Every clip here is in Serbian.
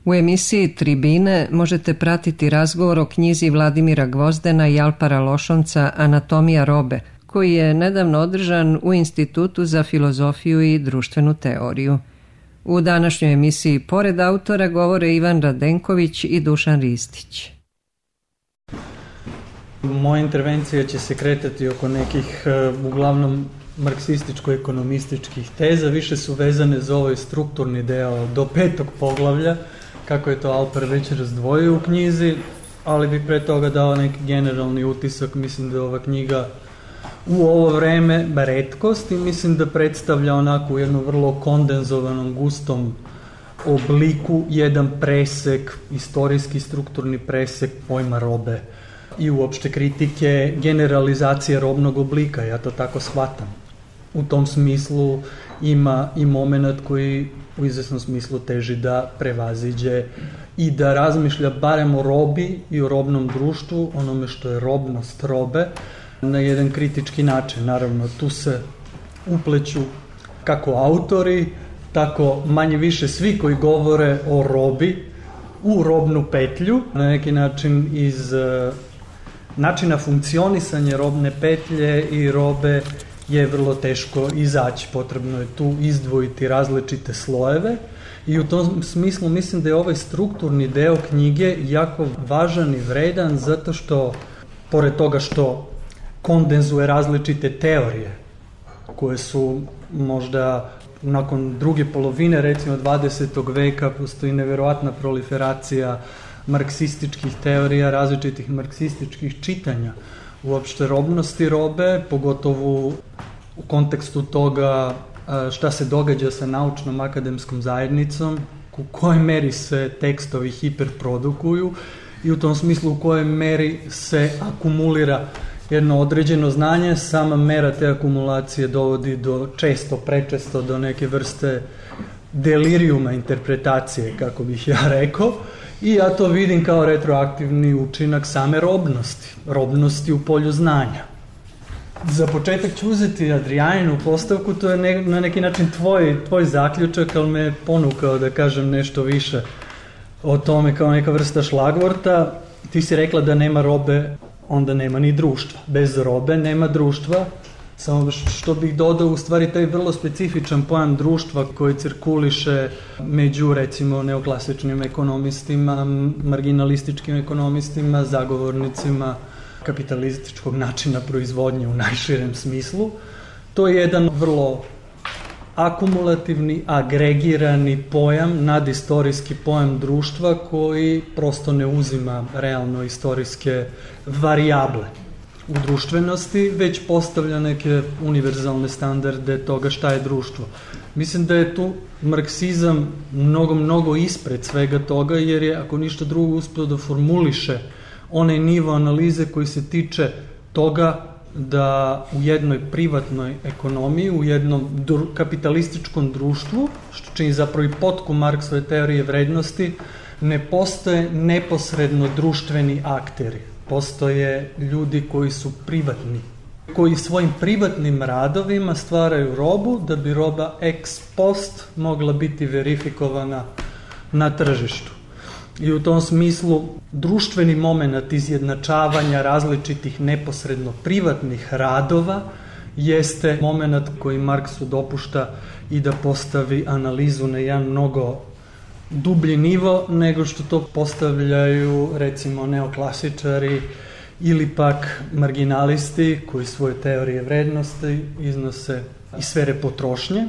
U emisiji Tribine možete pratiti razgovor o knjizi Vladimira Gvozdena i Alpara Lošonca Anatomija robe, koji je nedavno održan u Institutu za filozofiju i društvenu teoriju. U današnjoj emisiji pored autora govore Ivan Radenković i Dušan Ristić. Moja intervencija će se kretati oko nekih uglavnom marksističko-ekonomističkih teza, više su vezane za ovaj strukturni deo do 5. poglavlja, kako je to Alpar već razdvojio u knjizi, ali bi pre toga dao neki generalni utisak. Mislim da je ova knjiga u ovo vreme retkost i mislim da predstavlja onako u jednom vrlo kondenzovanom, gustom obliku jedan presek, istorijski strukturni presek pojma robe i uopšte kritike generalizacije robnog oblika, ja to tako shvatam. U tom smislu ima i moment koji u izvesnom smislu teži da prevaziđe i da razmišlja barem o robi i o robnom društvu, onome što je robnost robe, na jedan kritički način. Naravno, tu se upleću kako autori, tako manje više svi koji govore o robi u robnu petlju, na neki način iz načina funkcionisanja robne petlje i robe je vrlo teško izaći. Potrebno je tu izdvojiti različite slojeve i u tom smislu mislim da je ovaj strukturni deo knjige jako važan i vredan, zato što, pored toga što kondenzuje različite teorije koje su možda nakon druge polovine, recimo 20. veka, postoji neverovatna proliferacija marksističkih teorija, različitih marksističkih čitanja uopšte robnosti robe, pogotovo u kontekstu toga šta se događa sa naučnom akademskom zajednicom, u kojoj meri se tekstovi hiperprodukuju i u tom smislu u kojoj meri se akumulira jedno određeno znanje. Sama mera te akumulacije dovodi do prečesto do neke vrste delirijuma interpretacije, kako bih ja rekao, i ja to vidim kao retroaktivni učinak same robnosti u polju znanja. Za početak ću uzeti Adrijaninu postavku, to je na neki način tvoj zaključak, ali me ponukao da kažem nešto više o tome kao neka vrsta šlagvorta. Ti si rekla da nema robe, onda nema ni društva. Bez robe nema društva, samo što bih dodao u stvari taj vrlo specifičan pojam društva koji cirkuliše među recimo neoklasičnim ekonomistima, marginalističkim ekonomistima, zagovornicima kapitalističkog načina proizvodnje u najširem smislu. To je jedan vrlo akumulativni, agregirani pojam, nadistorijski pojam društva koji prosto ne uzima realno istorijske varijable u društvenosti, već postavlja neke univerzalne standarde toga šta je društvo. Mislim da je tu marksizam mnogo ispred svega toga, jer je, ako ništa drugo, uspio da formuliše onaj nivo analize koji se tiče toga da u jednoj privatnoj ekonomiji, u jednom kapitalističkom društvu, što čini zapravo i potku Marksove teorije vrednosti, ne postoje neposredno društveni akteri. Postoje ljudi koji su privatni, koji svojim privatnim radovima stvaraju robu da bi roba ex post mogla biti verifikovana na tržištu. I u tom smislu društveni moment izjednačavanja različitih neposredno privatnih radova jeste moment koji Marksu dopušta i da postavi analizu na jedan mnogo dublji nivo nego što to postavljaju recimo neoklasičari ili pak marginalisti koji svoje teorije vrednosti iznose iz sfere potrošnje.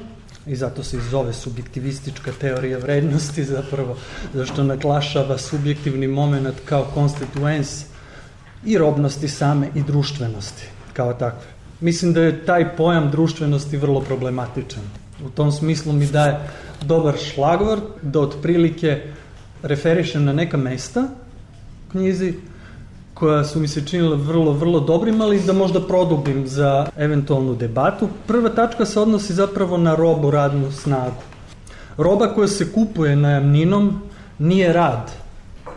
I zato se i zove subjektivistička teorija vrednosti, zapravo zašto naglašava subjektivni moment kao konstituens i robnosti same i društvenosti kao takve. Mislim da je taj pojam društvenosti vrlo problematičan. U tom smislu mi daje dobar šlagvort da otprilike referišem na neka mesta u knjizi koja su mi se činila vrlo dobrim, ali da možda produbim za eventualnu debatu. Prva tačka se odnosi zapravo na robu, radnu snagu. Roba koja se kupuje najamninom nije rad,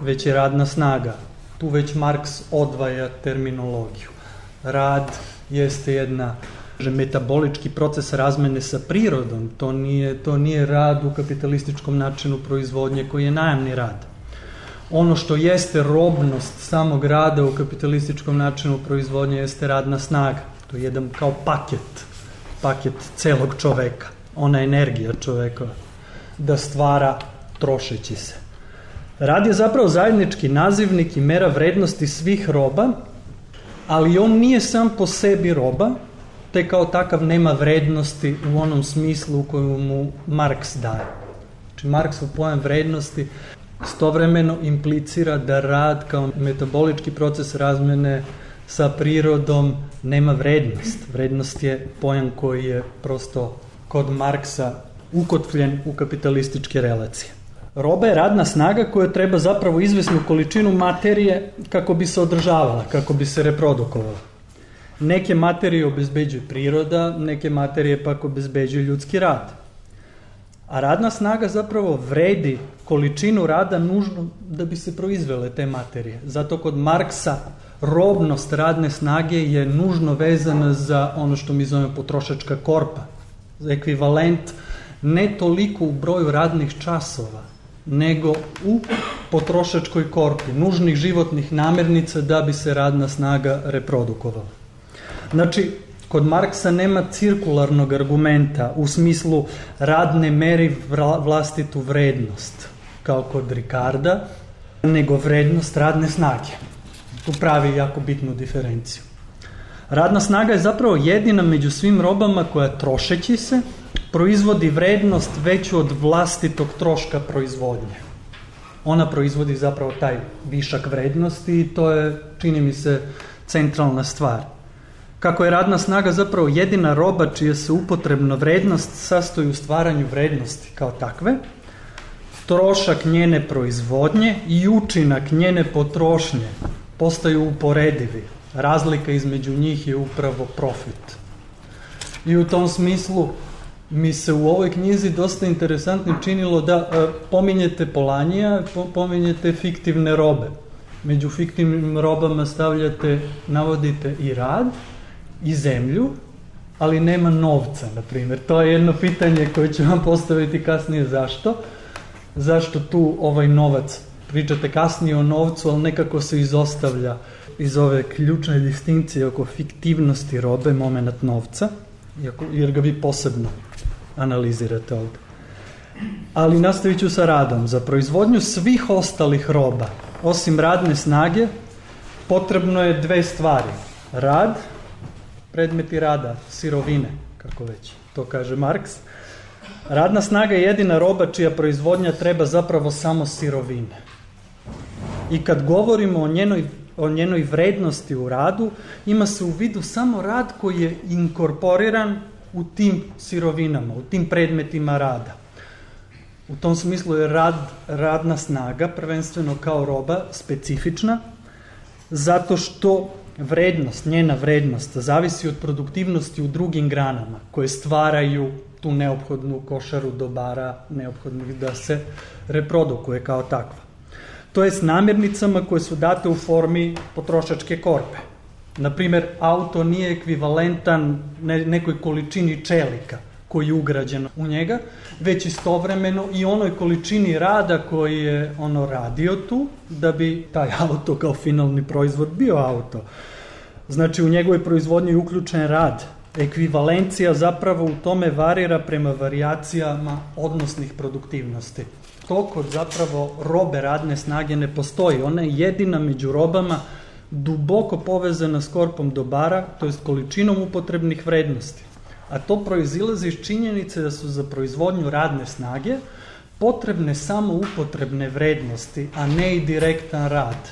već je radna snaga. Tu već Marks odvaja terminologiju. Rad jeste jedna metabolički proces razmene sa prirodom, to nije rad u kapitalističkom načinu proizvodnje koji je najamni rad. Ono što jeste robnost samog rada u kapitalističkom načinu proizvodnje jeste radna snaga. To je jedan kao paket celog čoveka, ona energija čoveka da stvara trošeći se. Rad je zapravo zajednički nazivnik i mera vrednosti svih roba, ali on nije sam po sebi roba, te kao takav nema vrednosti u onom smislu u kojem mu Marks daje. Znači Marksov pojam vrednosti istovremeno implicira da rad kao metabolički proces razmene sa prirodom nema vrednost. Vrednost je pojam koji je prosto kod Marksa ukotvljen u kapitalističke relacije. Roba je radna snaga koja treba zapravo izvesnu količinu materije kako bi se održavala, kako bi se reprodukovala. Neke materije obezbeđuje priroda, neke materije pak obezbeđuje ljudski rad. A radna snaga zapravo vredi količinu rada nužno da bi se proizvele te materije. Zato kod Marksa robnost radne snage je nužno vezana za ono što mi zovemo potrošačka korpa. Ekvivalent ne toliko u broju radnih časova, nego u potrošačkoj korpi, nužnih životnih namirnica da bi se radna snaga reprodukovala. Znači, kod Marksa nema cirkularnog argumenta u smislu rad ne meri vlastitu vrednost, kao kod Ricarda, nego vrednost radne snage. Tu pravi jako bitnu diferenciju. Radna snaga je zapravo jedina među svim robama koja trošeći se proizvodi vrednost veću od vlastitog troška proizvodnje. Ona proizvodi zapravo taj višak vrednosti i to je, čini mi se, centralna stvar. Kako je radna snaga zapravo jedina roba čija se upotrebna vrednost sastoji u stvaranju vrednosti kao takve, trošak njene proizvodnje i učinak njene potrošnje postaju uporedivi. Razlika između njih je upravo profit. I u tom smislu mi se u ovoj knjizi dosta interesantnim činilo da pominjete Polanija, pominjete fiktivne robe. Među fiktivnim robama navodite i rad, i zemlju, ali nema novca, na primjer. To je jedno pitanje koje ću vam postaviti kasnije. Zašto tu ovaj novac? Pričate kasnije o novcu, ali nekako se izostavlja iz ove ključne distinkcije oko fiktivnosti robe moment novca, jer ga vi posebno analizirate ovdje. Ali nastavit ću sa radom. Za proizvodnju svih ostalih roba, osim radne snage, potrebno je dve stvari. Rad, predmeti rada, sirovine, kako već to kaže Marks. Radna snaga je jedina roba čija proizvodnja treba zapravo samo sirovine. I kad govorimo o njenoj vrednosti u radu, ima se u vidu samo rad koji je inkorporiran u tim sirovinama, u tim predmetima rada. U tom smislu je radna snaga, prvenstveno kao roba, specifična, zato što njena vrednost zavisi od produktivnosti u drugim granama koje stvaraju tu neophodnu košaru dobara neophodnih da se reprodukuje kao takva. To je s namirnicama koje su date u formi potrošačke korpe. Naprimjer, auto nije ekvivalentan nekoj količini čelika koji je ugrađen u njega, već istovremeno i onoj količini rada koji je ono radio tu, da bi taj auto kao finalni proizvod bio auto. Znači, u njegovoj proizvodnji je uključen rad. Ekvivalencija zapravo u tome varira prema varijacijama odnosnih produktivnosti. To kod zapravo robe radne snage ne postoji. Ona je jedina među robama duboko povezana s korpom dobara, to jest količinom upotrebnih vrednosti. A to proizilazi iz činjenice da su za proizvodnju radne snage potrebne samo upotrebne vrednosti, a ne i direktan rad.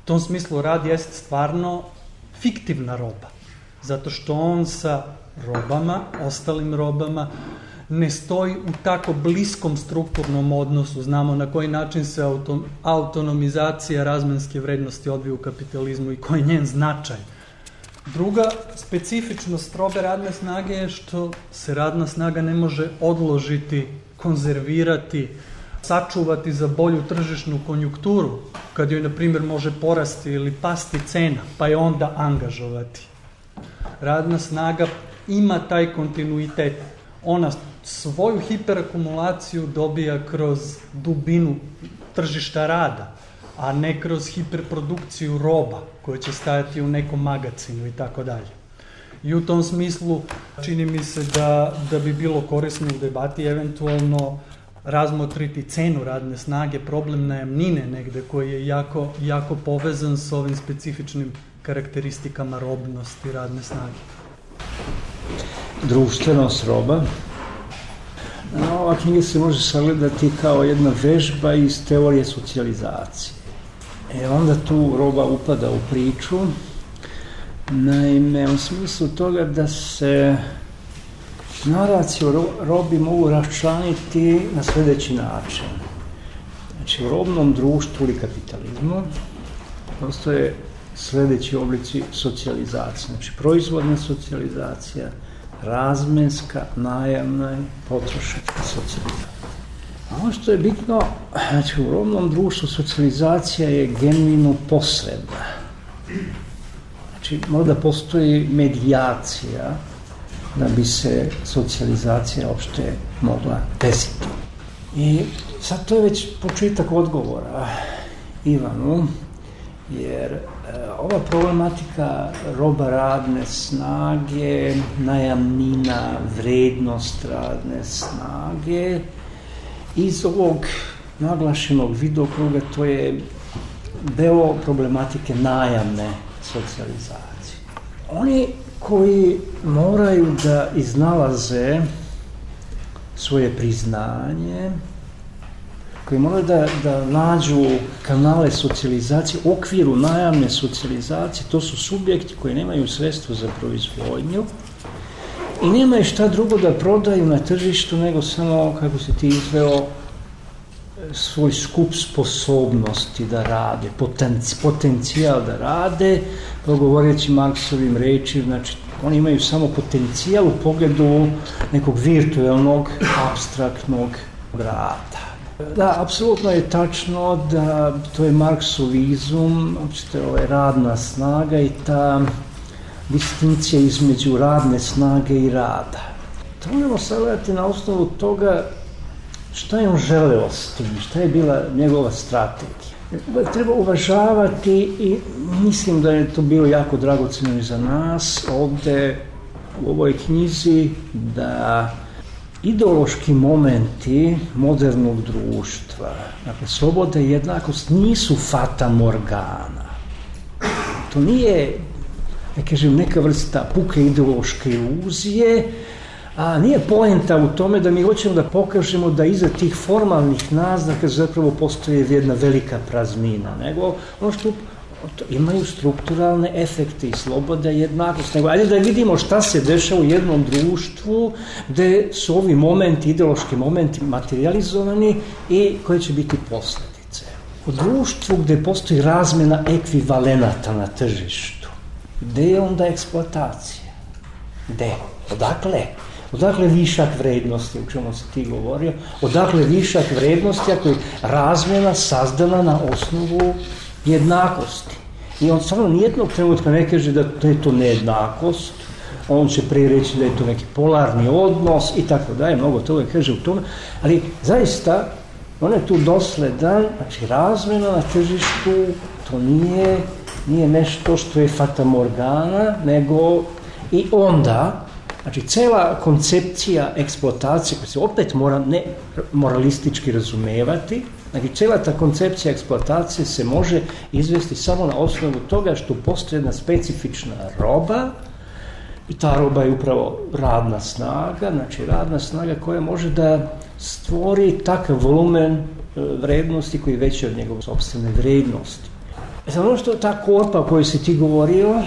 U tom smislu rad jest stvarno fiktivna roba, zato što on sa robama, ostalim robama, ne stoji u tako bliskom strukturnom odnosu. Znamo na koji način se autonomizacija razmenske vrednosti odvija u kapitalizmu i koji je njen značaj. Druga specifičnost robe radne snage je što se radna snaga ne može odložiti, konzervirati, sačuvati za bolju tržišnu konjukturu, kad joj, na primjer, može porasti ili pasti cena, pa je onda angažovati. Radna snaga ima taj kontinuitet. Ona svoju hiperakumulaciju dobija kroz dubinu tržišta rada, a ne kroz hiperprodukciju roba koja će stajati u nekom magacinu i tako dalje. I u tom smislu čini mi se da bi bilo korisno u debati eventualno razmotriti cenu radne snage, problem najamnine negde koji je jako, jako povezan s ovim specifičnim karakteristikama robnosti radne snage. Društvenost roba. Ova knjiga se može sagledati kao jedna vežba iz teorije socijalizacije. Onda tu roba upada u priču, naime u smislu toga da se naracije o robi mogu raščlaniti na sljedeći način. Znači, u robnom društvu ili kapitalizmu postoje sljedeći oblici socijalizacije. Znači, proizvodna socijalizacija, razmenska, najamna i potrošačka socijalizacija. A ono što je bitno, znači, u robnom društvu socijalizacija je genuino posredna. Znači, možda postoji medijacija da bi se socijalizacija uopšte mogla desiti. I sad to je već početak odgovora Ivanu, jer ova problematika roba radne snage, najamnina, vrednost radne snage, iz ovog naglašenog vidokruga to je deo problematike najamne socijalizacije. Oni koji moraju da iznalaze svoje priznanje, koji moraju da nađu kanale socijalizacije u okviru najamne socijalizacije, to su subjekti koji nemaju sredstvo za proizvodnju i nemaju šta drugo da prodaju na tržištu nego samo, kako se ti izveo, svoj skup sposobnosti da rade, potencijal da rade, govoreći Marksovim rečima, znači oni imaju samo potencijal u pogledu nekog virtualnog, apstraktnog rada. Da, apsolutno je tačno da to je marksovizam, radna snaga i ta distinkcija između radne snage i rada. To možemo sagledati na osnovu toga šta je on želeo s tim, šta je bila njegova strategija. Treba uvažavati i mislim da je to bilo jako dragoceno i za nas ovde u ovoj knjizi, da ideološki momenti modernog društva, dakle, sloboda i jednakost nisu fata morgana. To nije, neka vrsta puke ideološke iluzije, a nije poenta u tome da mi hoćemo da pokažemo da iza tih formalnih naznaka zapravo postoji jedna velika praznina, nego ono što imaju strukturalne efekte i sloboda i jednakost. Nego, ajde da vidimo šta se dešava u jednom društvu gde su ovi momenti, ideološki momenti materializovani i koje će biti posljedice. U društvu gde postoji razmena ekvivalenata na tržištu, gde je onda eksploatacija? Gde? Odakle? Odakle višak vrednosti, o čemu si ti govorio? Odakle višak vrednosti ako je razmjena sazdana na osnovu jednakosti? I on stvarno nijednog trenutka ne kaže da je to nejednakost, on će prije reći da je to neki polarni odnos i tako dalje, mnogo toga kaže u tome, ali zaista on je tu dosledan, znači razmjena na tržištu, to nije nešto što je fatamorgana, nego i onda, znači cela koncepcija eksploatacije, koja se opet mora ne moralistički razumevati, znači cela ta koncepcija eksploatacije se može izvesti samo na osnovu toga što postoji jedna specifična roba i ta roba je upravo radna snaga, znači radna snaga koja može da stvori takav volumen vrednosti koji je veći od njegove sopstvene vrednosti. Ono što ta korpa o kojoj si ti govorio,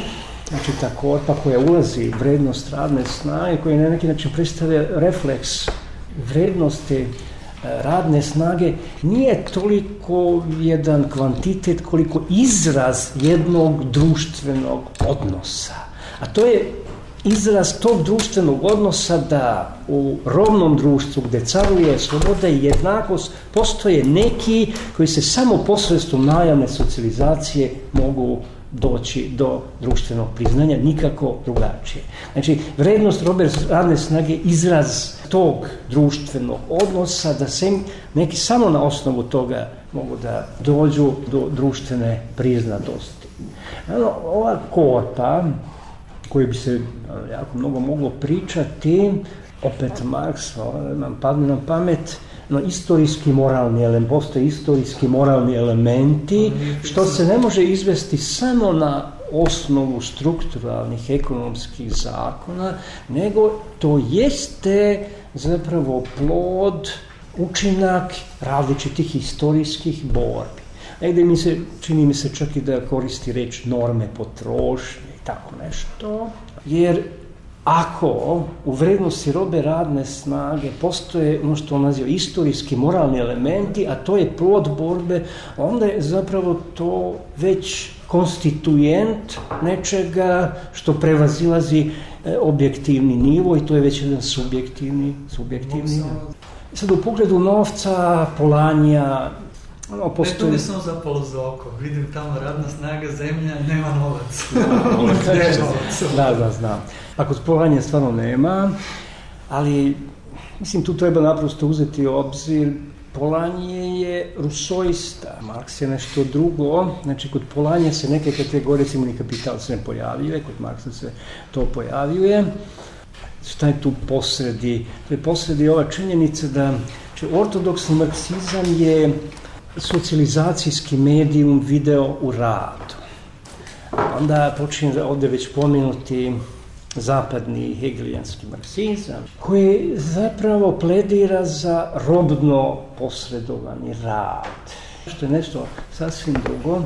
znači ta korpa koja ulazi u vrednost radne snage, koja na neki način predstavlja refleks vrednosti radne snage, nije toliko jedan kvantitet koliko izraz jednog društvenog odnosa. A to je izraz tog društvenog odnosa da u robnom društvu gde caruje sloboda i jednakost postoje neki koji se samo posredstvom najamne socijalizacije mogu doći do društvenog priznanja, nikako drugačije. Znači, vrednost robe radne snage je izraz tog društvenog odnosa, da se neki samo na osnovu toga mogu da dođu do društvene priznatosti. Ova korpa, koju bi se jako mnogo moglo pričati, opet Marks, nam padne na pamet, istorijski moralni element, postoje istorijski moralni elementi, što se ne može izvesti samo na osnovu strukturalnih ekonomskih zakona, nego to jeste zapravo plod, učinak različitih istorijskih borbi. Negde čini mi se čak i da koristi reč norme potrošnje i tako nešto, jer ako u vrednosti robe radne snage postoje ono što on naziva istorijski moralni elementi, a to je plod borbe, onda je zapravo to već konstituent nečega što prevazilazi objektivni nivo i to je već jedan subjektivni nivo. Sad u pogledu novca, Polanija, postoji... Ne, to sam zapalo za oko. Vidim tamo radna snaga, zemlja, nema novac. Da, znam. Ako Polanija stvarno nema, ali mislim tu treba naprosto uzeti u obzir, Polanije je rusoista, Marks je nešto drugo, znači kod Polanije se neke kategorije, recimo ni kapital se ne pojavljuje, kod Marksa se to pojavljuje. Šta je tu posredi? To je posredi ova činjenica da ortodoksni marksizam je socijalizacijski medijum video u radu. Onda počinje ovdje već pomenuti zapadni hegelijanski marksizam, koji zapravo pledira za robno posredovani rad, što je nešto sasvim drugo.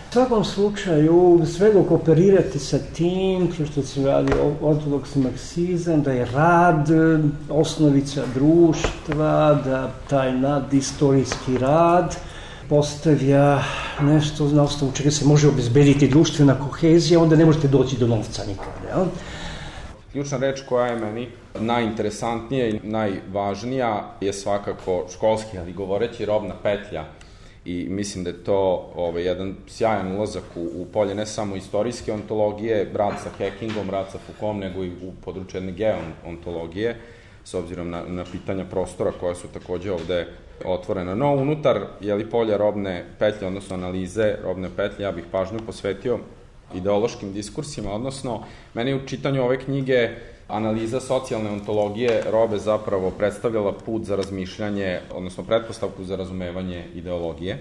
U svakom slučaju, sve dok operirati sa tim, što se radi ortodoksni marksizam, da je rad osnovica društva, da taj nadistorijski rad postavlja nešto na osnovu čega se može obezbediti društvena kohezija, onda ne možete doći do novca nikada. Ja? Ključna reč koja je meni najinteresantnija i najvažnija je svakako školski, ali govoreći robna petlja. I mislim da je to jedan sjajan ulazak u polje ne samo istorijske ontologije, rad sa Hackingom, rad sa Foucaultom, nego i u području jedne geoontologije, s obzirom na pitanja prostora koja su takođe ovde otvorena. No, unutar polja robne petlje, odnosno analize robne petlje, ja bih pažnju posvetio ideološkim diskursima, odnosno meni u čitanju ove knjige analiza socijalne ontologije robe zapravo predstavljala put za razmišljanje, odnosno pretpostavku za razumevanje ideologije.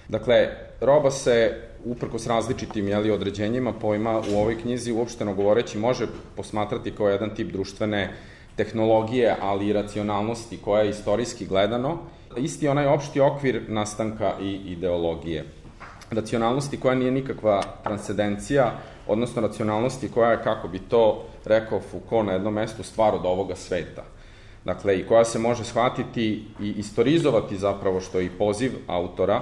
Dakle, roba se, uprkos različitim određenjima pojma u ovoj knjizi, uopšteno govoreći, može posmatrati kao jedan tip društvene tehnologije, ali i racionalnosti koja je istorijski gledano, isti onaj opšti okvir nastanka i ideologije. Racionalnosti koja nije nikakva transcendencija, odnosno racionalnosti koja je, kako bi to rekao Foucault na jednom mestu, stvar od ovoga sveta. Dakle, i koja se može shvatiti i istorizovati zapravo, što je i poziv autora,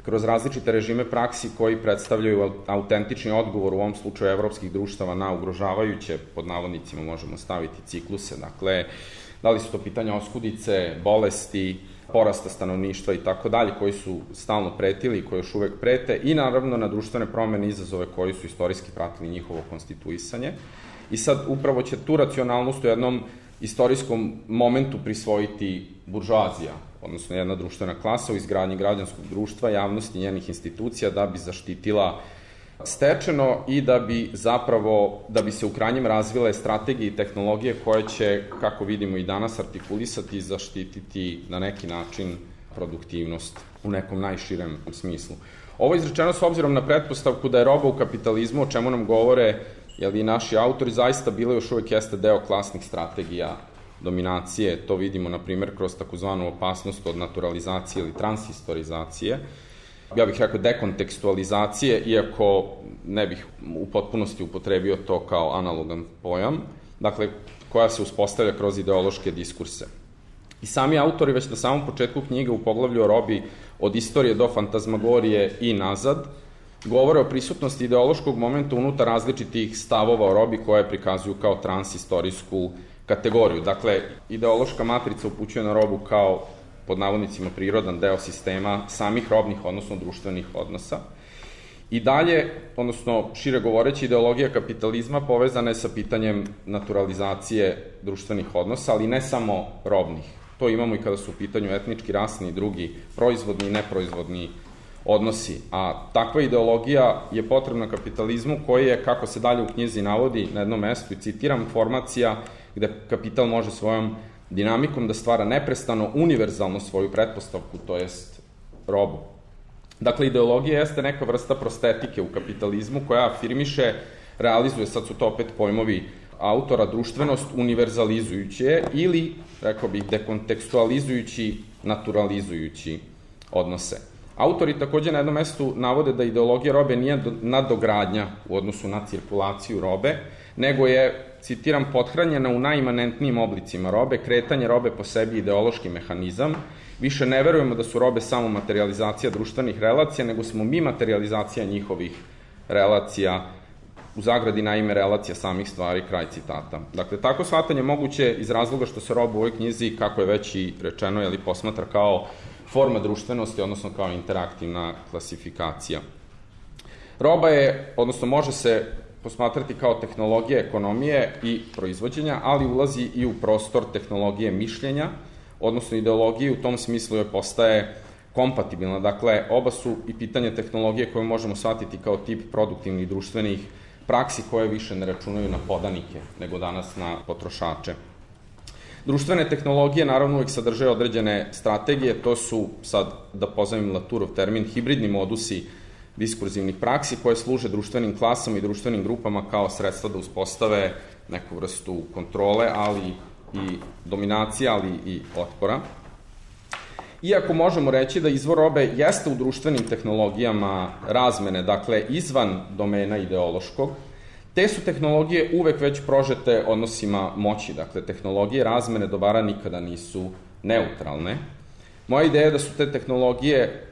kroz različite režime praksi koji predstavljaju autentični odgovor u ovom slučaju evropskih društava na ugrožavajuće, pod navodnicima možemo staviti, cikluse. Dakle, da li su to pitanja oskudice, bolesti, porasta stanovništva i tako dalje, koji su stalno pretili i koji još uvek prete, i naravno na društvene promene i izazove koji su istorijski pratili njihovo konstituisanje. I sad upravo će tu racionalnost u jednom istorijskom momentu prisvojiti buržoazija, odnosno jedna društvena klasa u izgradnji građanskog društva, javnosti i njenih institucija, da bi zaštitila stečeno i da bi se u krajnjem razvile strategije i tehnologije koje će, kako vidimo i danas, artikulisati i zaštititi na neki način produktivnost u nekom najširem smislu. Ovo je izrečeno s obzirom na pretpostavku da je roba u kapitalizmu, o čemu nam govore i naši autori, zaista bila još uvek jeste deo klasnih strategija dominacije. To vidimo, na primjer, kroz takozvanu opasnost od naturalizacije ili transhistorizacije. Ja bih rekao dekontekstualizacije, iako ne bih u potpunosti upotrebio to kao analogan pojam, dakle, koja se uspostavlja kroz ideološke diskurse. I sami autori već na samom početku knjige u poglavlju o robi od istorije do fantazmagorije i nazad govore o prisutnosti ideološkog momenta unutar različitih stavova o robi koje prikazuju kao transhistorijsku kategoriju. Dakle, ideološka matrica upućuje na robu kao, pod navodnicima, prirodan deo sistema samih robnih, odnosno društvenih odnosa. I dalje, odnosno šire govoreći, ideologija kapitalizma povezana je sa pitanjem naturalizacije društvenih odnosa, ali ne samo robnih. To imamo i kada su u pitanju etnički, rasni i drugi proizvodni i neproizvodni odnosi. A takva ideologija je potrebna kapitalizmu koji je, kako se dalje u knjizi navodi na jednom mestu, i citiram, formacija gde kapital može svojom dinamikom da stvara neprestano univerzalno svoju pretpostavku, to jest robu. Dakle, ideologija jeste neka vrsta prostetike u kapitalizmu koja afirmiše, realizuje, sad su to opet pojmovi autora, društvenost univerzalizujući je ili, rekao bih, dekontekstualizujući, naturalizujući odnose. Autori takođe na jednom mestu navode da ideologija robe nije nadogradnja u odnosu na cirkulaciju robe, nego je, citiram, pothranjena u najimanentnijim oblicima robe, kretanje robe po sebi ideološki mehanizam, više ne verujemo da su robe samo materializacija društvenih relacija, nego smo mi materializacija njihovih relacija, u zagradi naime relacija samih stvari, kraj citata. Dakle, tako shvatanje moguće iz razloga što se roba u ovoj knjizi, kako je već i rečeno, posmatra kao forma društvenosti, odnosno kao interaktivna klasifikacija. Roba je, odnosno može se posmatrati kao tehnologija ekonomije i proizvođenja, ali ulazi i u prostor tehnologije mišljenja, odnosno ideologije, u tom smislu joj postaje kompatibilna. Dakle, oba su i pitanje tehnologije koje možemo shvatiti kao tip produktivnih društvenih praksi koje više ne računaju na podanike, nego danas na potrošače. Društvene tehnologije naravno uvek sadrže određene strategije, to su, sad da pozovem Latourov termin, hibridni modusi diskurzivnih praksi koje služe društvenim klasama i društvenim grupama kao sredstva da uspostave neku vrstu kontrole, ali i dominacije, ali i otpora. Iako možemo reći da izvor robe jeste u društvenim tehnologijama razmene, dakle izvan domena ideološkog, te su tehnologije uvek već prožete odnosima moći, dakle tehnologije razmene dobara nikada nisu neutralne. Moja ideja je da su te tehnologije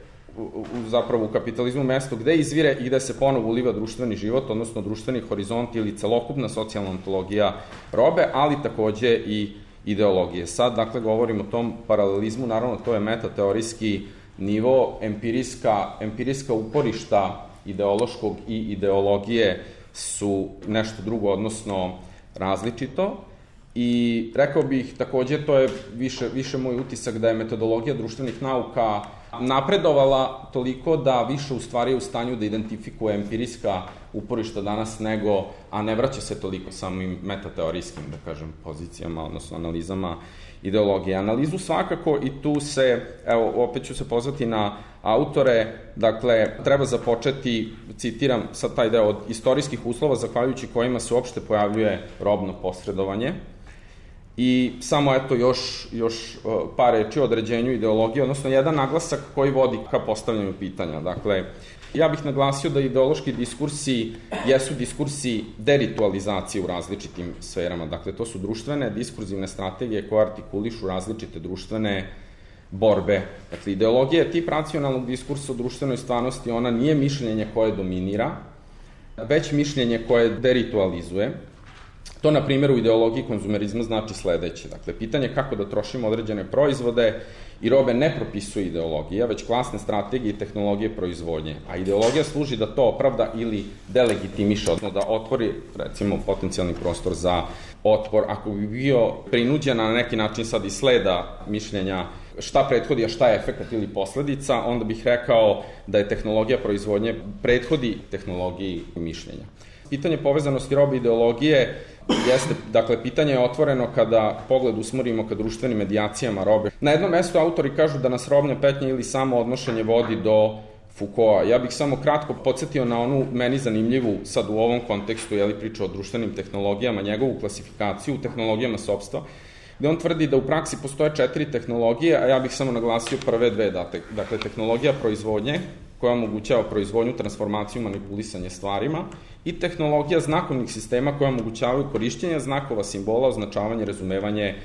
zapravo u kapitalizmu mesto gde izvire i gde se ponovo uliva društveni život, odnosno društveni horizont ili celokupna socijalna ontologija robe, ali takođe i ideologije. Sad, dakle, govorimo o tom paralelizmu, naravno to je metateorijski nivo, empirijska uporišta ideološkog i ideologije su nešto drugo, odnosno različito. I rekao bih takođe, to je više moj utisak da je metodologija društvenih nauka napredovala toliko da više u stvari je u stanju da identifikuje empirijska uporišta danas nego, a ne vraća se toliko samim metateorijskim, da kažem, pozicijama, odnosno analizama ideologije. Analizu svakako i tu se, evo, opet ću se pozvati na autore, dakle, treba započeti, citiram sad taj deo, od istorijskih uslova zahvaljujući kojima se uopšte pojavljuje robno posredovanje. I samo eto još par reči o određenju ideologije, odnosno jedan naglasak koji vodi ka postavljanju pitanja. Dakle, ja bih naglasio da ideološki diskursi jesu diskursi deritualizacije u različitim sferama. Dakle, to su društvene diskurzivne strategije koje artikulišu različite društvene borbe. Dakle, ideologija je tip racionalnog diskursa o društvenoj stvarnosti, ona nije mišljenje koje dominira, već mišljenje koje deritualizuje. To, na primjer, u ideologiji konzumerizma znači sledeće. Dakle, pitanje kako da trošimo određene proizvode i robe ne propisuje ideologija, već klasne strategije i tehnologije proizvodnje. A ideologija služi da to opravda ili delegitimiše, odnosno da otvori, recimo, potencijalni prostor za otpor. Ako bi bio prinuđen na neki način sad i sleda mišljenja šta prethodi, a šta je efekat ili posledica, onda bih rekao da je tehnologija proizvodnje prethodi tehnologiji mišljenja. Pitanje povezanosti robe i ideologije jeste, dakle, pitanje je otvoreno kada pogled usmerimo ka društvenim medijacijama robe. Na jednom mestu autori kažu da nas robna petnja ili samo odnošenje vodi do Foucaulta. Ja bih samo kratko podsjetio na onu meni zanimljivu, sad u ovom kontekstu, priča o društvenim tehnologijama, njegovu klasifikaciju u tehnologijama sopstva, gde on tvrdi da u praksi postoje 4 tehnologije, a ja bih samo naglasio prve 2, dakle, tehnologija proizvodnje, koja omogućava proizvodnju, transformaciju, manipulisanje stvarima, i tehnologija znakovnih sistema koja omogućavaju korišćenje znakova, simbola, označavanje, razumevanje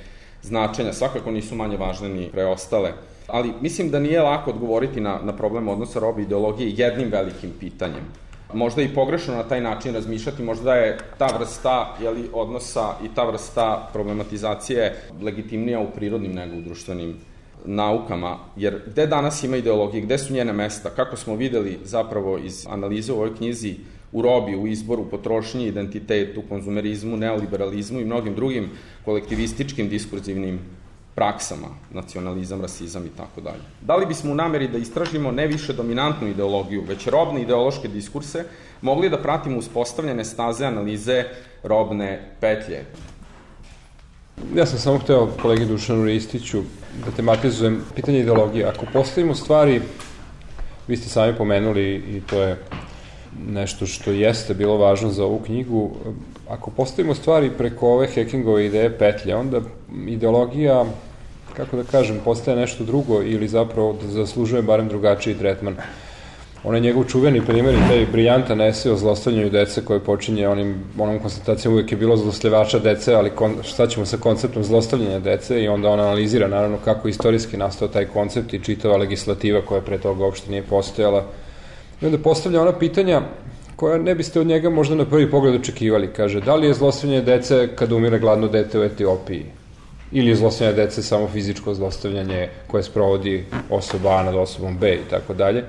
značenja. Svakako nisu manje važne ni preostale. Ali mislim da nije lako odgovoriti na problem odnosa robe i ideologije jednim velikim pitanjem. Možda i pogrešno na taj način razmišljati, možda je ta vrsta odnosa i ta vrsta problematizacije legitimnija u prirodnim nego u društvenim naukama, jer gde danas ima ideologije, gde su njene mesta, kako smo videli zapravo iz analize u ovoj knjizi, u robi, u izboru, potrošnji, identitetu, konzumerizmu, neoliberalizmu i mnogim drugim kolektivističkim diskurzivnim praksama, nacionalizam, rasizam i tako dalje. Da li bismo u nameri da istražimo ne više dominantnu ideologiju, već robne ideološke diskurse, mogli da pratimo uspostavljene staze analize robne petlje? Ja sam samo hteo kolegi Dušanu Ristiću da tematizujem pitanje ideologije. Ako postavimo stvari, vi ste sami pomenuli i to je nešto što jeste bilo važno za ovu knjigu, ako postavimo stvari preko ove Hackingove ideje petlje, onda ideologija, kako da kažem, postaje nešto drugo ili zapravo da zaslužuje barem drugačiji tretman. Onaj njegov čuveni primjer i taj briljantan esej o zlostavljanju dece koje počinje onom konstatacijom uvijek je bilo zlostavljača dece, ali šta ćemo sa konceptom zlostavljanja dece, i onda on analizira naravno kako istorijski nastao taj koncept i čitava legislativa koja pre toga uopšte nije postojala. I onda postavlja ona pitanja koja ne biste od njega možda na prvi pogled očekivali. Kaže, da li je zlostavljanje dece kada umire gladno dete u Etiopiji? Ili je zlostavljanje dece samo fizičko zlostavljanje koje sprovodi osoba A nad osobom B i tako dalje.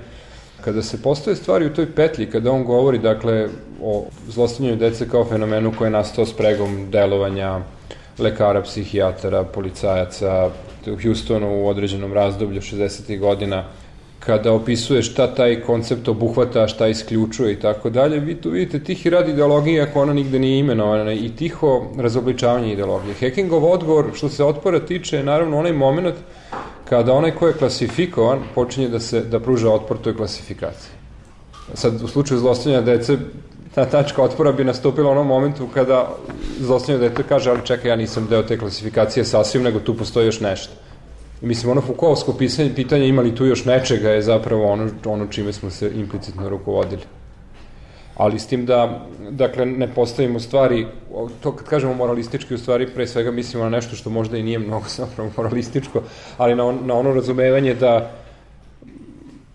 Kada se postave stvari u toj petlji, kada on govori, dakle, o zlostavljanju dece kao fenomenu koji je nastao spregom delovanja lekara, psihijatara, policajaca u Houstonu u određenom razdoblju 60. godina, kada opisuje šta taj koncept obuhvata, šta isključuje i tako dalje, vi tu vidite tihi rad ideologije ako ona nigde nije imenovana i tiho razobličavanje ideologije. Hackingov odgovor, što se otpora tiče, je naravno onaj moment kada onaj ko je klasifikovan počinje da pruža otpor toj klasifikaciji. Sad, u slučaju zlostavljanja dece, ta tačka otpora bi nastupila u onom momentu kada zlostavljanje dete kaže, ali čekaj, ja nisam deo te klasifikacije sasvim, nego tu postoji još nešto. I mislim, ono Foucaultsko pitanje ima li tu još nečega je zapravo ono čime smo se implicitno rukovodili. Ali s tim da, dakle, ne postavimo stvari, to kad kažemo moralistički, u stvari pre svega mislimo na nešto što možda i nije mnogo zapravo moralističko, ali na ono razumevanje da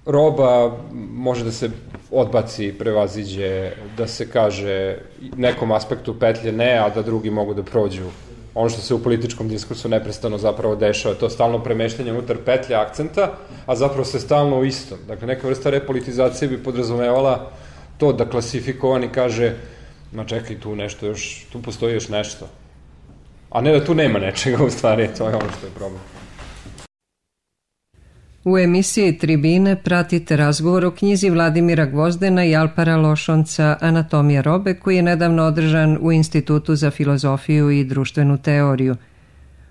roba može da se odbaci, prevaziđe, da se kaže nekom aspektu petlje ne, a da drugi mogu da prođu. Ono što se u političkom diskursu neprestano zapravo dešava, to stalno premeštanje unutar petlja akcenta, a zapravo se stalno u istom. Dakle, neka vrsta repolitizacije bi podrazumevala to da klasifikovani kaže, ma čekaj, tu postoji još nešto. A ne da tu nema nečega, u stvari, to je ono što je problem. U emisiji Tribine pratite razgovor o knjizi Vladimira Gvozdena i Alpara Lošonca Anatomija robe, koji je nedavno održan u Institutu za filozofiju i društvenu teoriju.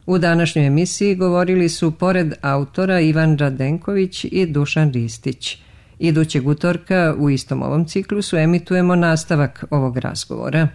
U današnjoj emisiji govorili su pored autora Ivan Radenković i Dušan Ristić. Idućeg utorka u istom ovom ciklusu emitujemo nastavak ovog razgovora.